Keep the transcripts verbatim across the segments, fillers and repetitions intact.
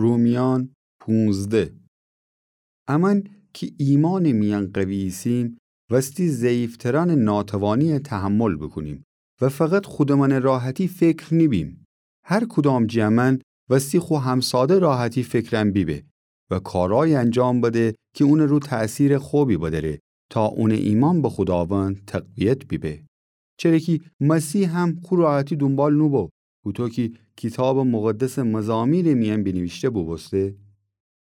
رومیأن پونزده. امأن کی ایمانٚ میأن قوی ایسیم، وستی ضعیفترأنٚ ناتوانی تحمل بوکونیم و فقط خودمأنٚ راحتی فکر نیبیم. هر کدام جٚه امأن وستی خو همساده راحتی فکرأن بیبه و کارأیی انجام بده کی اونٚ رو تأثیرٚ خوبی بدأره تا اونٚ ایمأن به خوداوند تقویت بیبه. چره کی مسیح هم خو راحتی دونبال نوبو، هوطو کی کیتابٚ مقدسٚ مزامیرٚ میأن بینیویشته بوبوسته: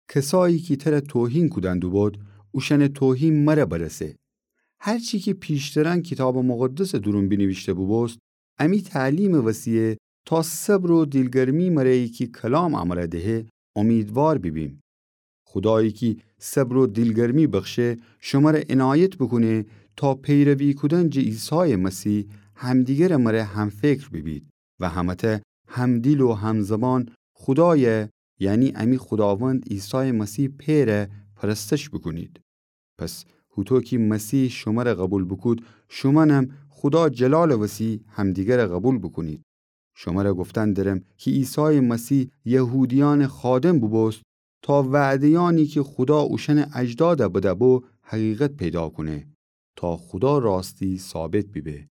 کسایی کی تره توهین کودن دوبود، اوشأنٚ توهین مره برسه. هر چی کی پیشترأن کیتابٚ مقدسٚ دورون بینیویشته بوبوست، امی تعلیمٚ وسیعه تا صبر و دیلگرمی مره کی کلام امره دهه، امیدوار بیبیم. خودایی کی صبر و دیلگرمی بخشه، شمره عنایت بوکونه تا پیروی کودن جٚه عیسایٚ مسیح همدیگرٚ مره همفکر بیبید و همه‌تأ همدیل و همزبان خودای، یعنی امی خوداوند عیسایٚ مسیح پئره پرستش بوکونید. پس هوطو کی مسیح شمره قوبیل بوکود، شومأنم خودا جلالٚ وسی همدیگره قوبیل بوکونید. شمره گفتن درم کی عیسایٚ مسیح یهودیأنٚ خادم بوبوست تا وعده‌یأنی کی خودا اوشأنٚ اجداد بده‌بو حقیقت پیدا کونه، تا خودا راستی ثابت بیبه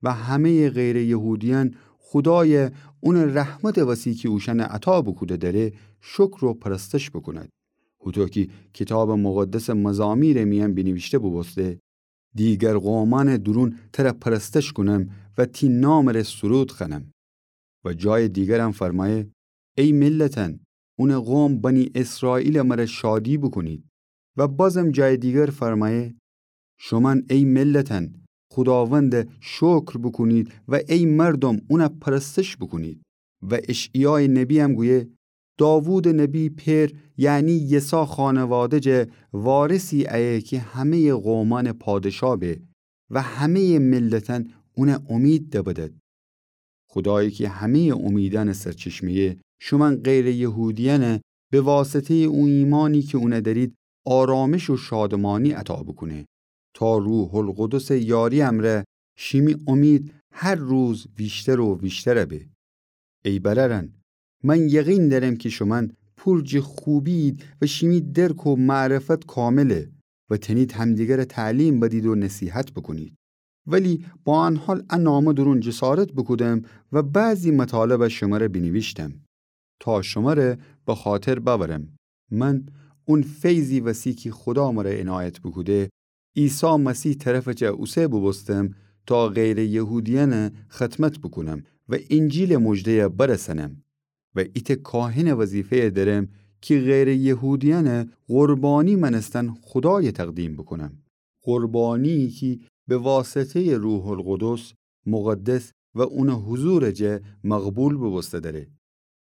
و همه‌یٚ غیرٚ یهودیأن خودای اونٚ رحمتٚ وسی کی اوشأنه عطا بوکوده دأره شکر و پرستش بوکوند. هوطو کی کیتابٚ مقدسٚ مزامیرٚ میأن بینیویشته بوبوسته: دیگر قومأنٚ دورون تره پرستش کونم و تی نامٚ ره سرود خوأنم. و جایٚ دیگرم فرمأیه: ای ملتأن، اونٚ قوم بنی اسرائیلٚ مره شادی بوکونید. و بازم جایٚ دیگر فرمأیه: شومأن ای ملتأن، خوداونده شکر بوکونید و ای مردوم، اونه پرستش بوکونید. و اشعیایٚ نبی‌یم گویه: داوودٚ نبی پئر، یعنی یسا خانواده جا وارثی ایه کی همه‌یٚ قومأنٚ پادشا به و همه‌یٚ ملتأن اونه امید دبدد. خودایی کی همه‌یٚ امیدأنٚ سرچشمه‌یه، شومأن غیرٚ یهودیأنه به واسطه‌یٚ او ایمانی کی اونه دأرید آرامش و شادمانی عطا بوکونه، تا روح‌القدسٚ یاری امرأ شیمی امید هر روز ویشتر و ویشتر به. ای برأرأن، من یقین دأرم کی شومأن پور جٚه خوبی‌یید و شیمی درک و معرفت کامله و تأنید همدیگره تعلیم بدید و نصیحت بوکونید. ولی با ان حال ا نامه دورون جسارت بوکودم و بعضی مطالب شمره بینیویشتم تا شمره بخاطر بأورم. من اون فیضی وسی کی خودا مره عنایت بوکوده، عیسی مسیح طرفٚ جا اوسه بوبوستم تا غیرٚ یهودیأنه خدمت بوکونم و انجیلٚ مژده‌یه برسأنم. و ایتأ کاهنٚ وظیفه‌یه دأرم کی غیرٚ یهودیأنه قربانی مأنستن خودایه تقدیم بوکونم، قربانی‌یی کی به واسطه‌یٚ روح‌القدس مقدس و اونٚ حضورٚ جا مقبول بوبوسته دأره.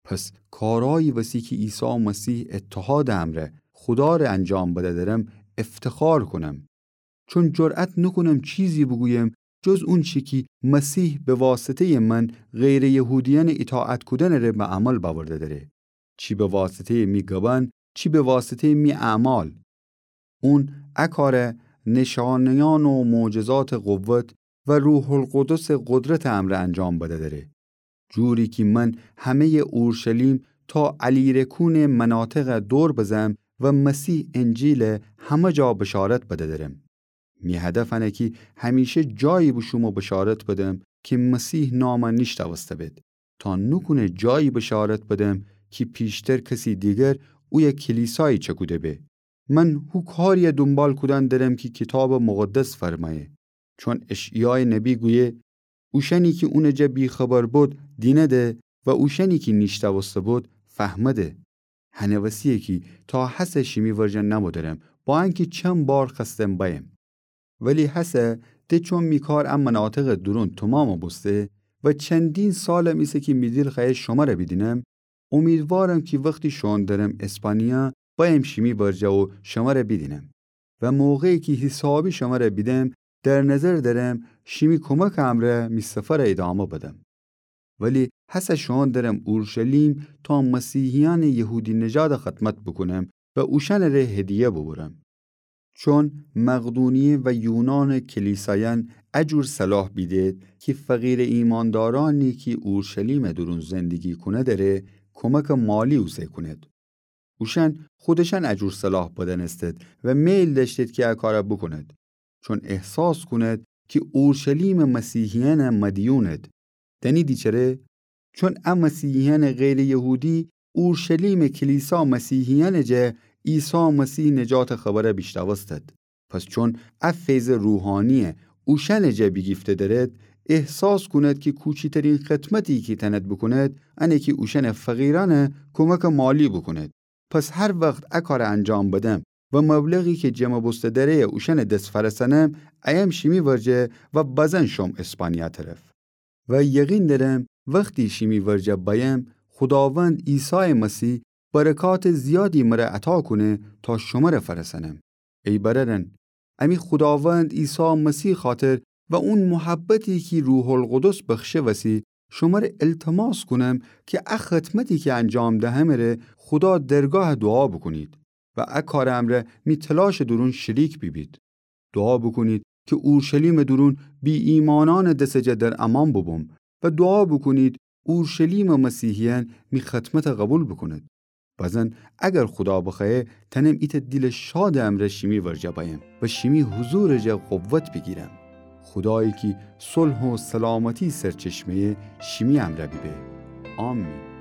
پس کارأیی وسی کی عیسی مسیح اتحادٚ امرأ خودا ره انجام بده دأرم افتخار کونم. چون جرأت نوکونم چیزی بوگویم جز اونچی کی مسیح به واسطه‌یٚ من غیرٚ یهودیأنٚ ایطاعت کودنٚ ره به عمل بأورده دأره، چی به واسطه‌یٚ می گبأن، چی به واسطه‌یٚ می اعمال. اون ا کاره نیشأنه‌یأن و معجزاتٚ قوت و روح‌القدسٚ قدرتٚ امرأ انجام بده دأره. جوری کی من همه‌یٚ اورشلیم تا الیرکونٚ مناطقه دور بزم و مسیح انجیله همه جا بشارت بده درم. می هدف انه کی همیشه جایی بوشوم و بشارت بدم کی مسیح نامه نیشتأوسته بید، تا نوکونه جایی بشارت بدم کی پیشتر کسی دیگر اویه کلیسایی چکوده به. من هو کاریه دونبال کودن درم کی کیتابٚ مقدس فرمأیه. چون اشعیایٚ نبی گویه: اوشأنی کی اونٚ جا بی‌خبر بید دینده و اوشأنی کی نیشتأوسته بید فهمده. هنٚ وسیه کی تا هسه شیمی ورجه نمو درم، با انکی چند بار خوأستم بأیم. ولی هسه ده چون می کار ا مناطقٚ دورون تومام بوسته و چندین سالم ایسه کی می دیل خوأیه شمره بیدینم، امیدوارم کی وختی شوئون درم اسپانیا، بأیم شیمی ورجه و شمره بیدینم. و موقعی کی حیسابی شمره بیدم، در نظر درم شیمی کمکٚ امرأ می سفره ایدامه بدم. ولی هسه شوئون درم اورشلیم تا مسیحیأنٚ یهودی‌نژاده خدمت بوکونم و اوشأنٚ ره هدیه بوبورم. چون مقدونیه و یونانٚ کلیسایأن ا جور صلاح بیدید کی فقیرٚ ایماندارأنی کی اورشلیمٚ دورون زندگی کونید ره کمکٚ مالی اوسه کونید. اوشأن خودشأن ا جور صلاح بدنستد و میل دأشتید کی ا کار بوکونید، چون احساس کونید کی اورشلیمٚ مسیحیأنٚ مدیونید. دأنیدی چره؟ چون ا مسیحیأنٚ غیرٚ یهودی اورشلیمٚ کلیسا مسیحیأنٚ جا عیسی مسیح نجاتٚ خبر بیشنوستید. پس چون ا فیضٚ روحانی اوشأنٚ جا بیگیفته درید، احساس کونید کی کوچیترین خدمتی کی تأنید بوکونید، انه کی اوشأنٚ فقیرأنٚ کمکٚ مالی بوکونید. پس هر وخت ا کار انجام بدم و مبلغی کی جمع بوسته دره‌یه اوشأنٚ دس فأرسأنم، ایم شیمی ورجه و بزن شوم اسپانیا طرف. و یقین دأرم وختی شیمی ورجه بأیم، خوداوند عیسایٚ مسیح برکاتٚ زیادی مر عطا کونه تا شمر فأرسأنم. ای برأرأن، امی خوداوند عیسی مسیح خاطر و اون محبتی کی روح‌القدس بخشه وسی، شمر التماس کونم کی ا خدمتی کی انجام دهمه ره خودا درگاه دوعا بوکونید و ا کارٚ امرأ می تلاشٚ دورون شریک بیبید. دوعا بوکونید کی اورشلیمٚ دورون بی‌ایمأنأنٚ دسٚ جا در امان بوبوم و دوعا بوکونید اورشلیمٚ مسیحیأن می خدمت قوبیل بوکونید. بزن اگر خودا بخوأیه تأنم ایتأ دیلٚ شادٚ امرأ شیمی ورجه بأیم و شیمی حضورٚ جا قوت بیگیرم. خودایی کی صلح و سلامتی سرچشمه‌یه شیمی امرأ بیبه. آمین.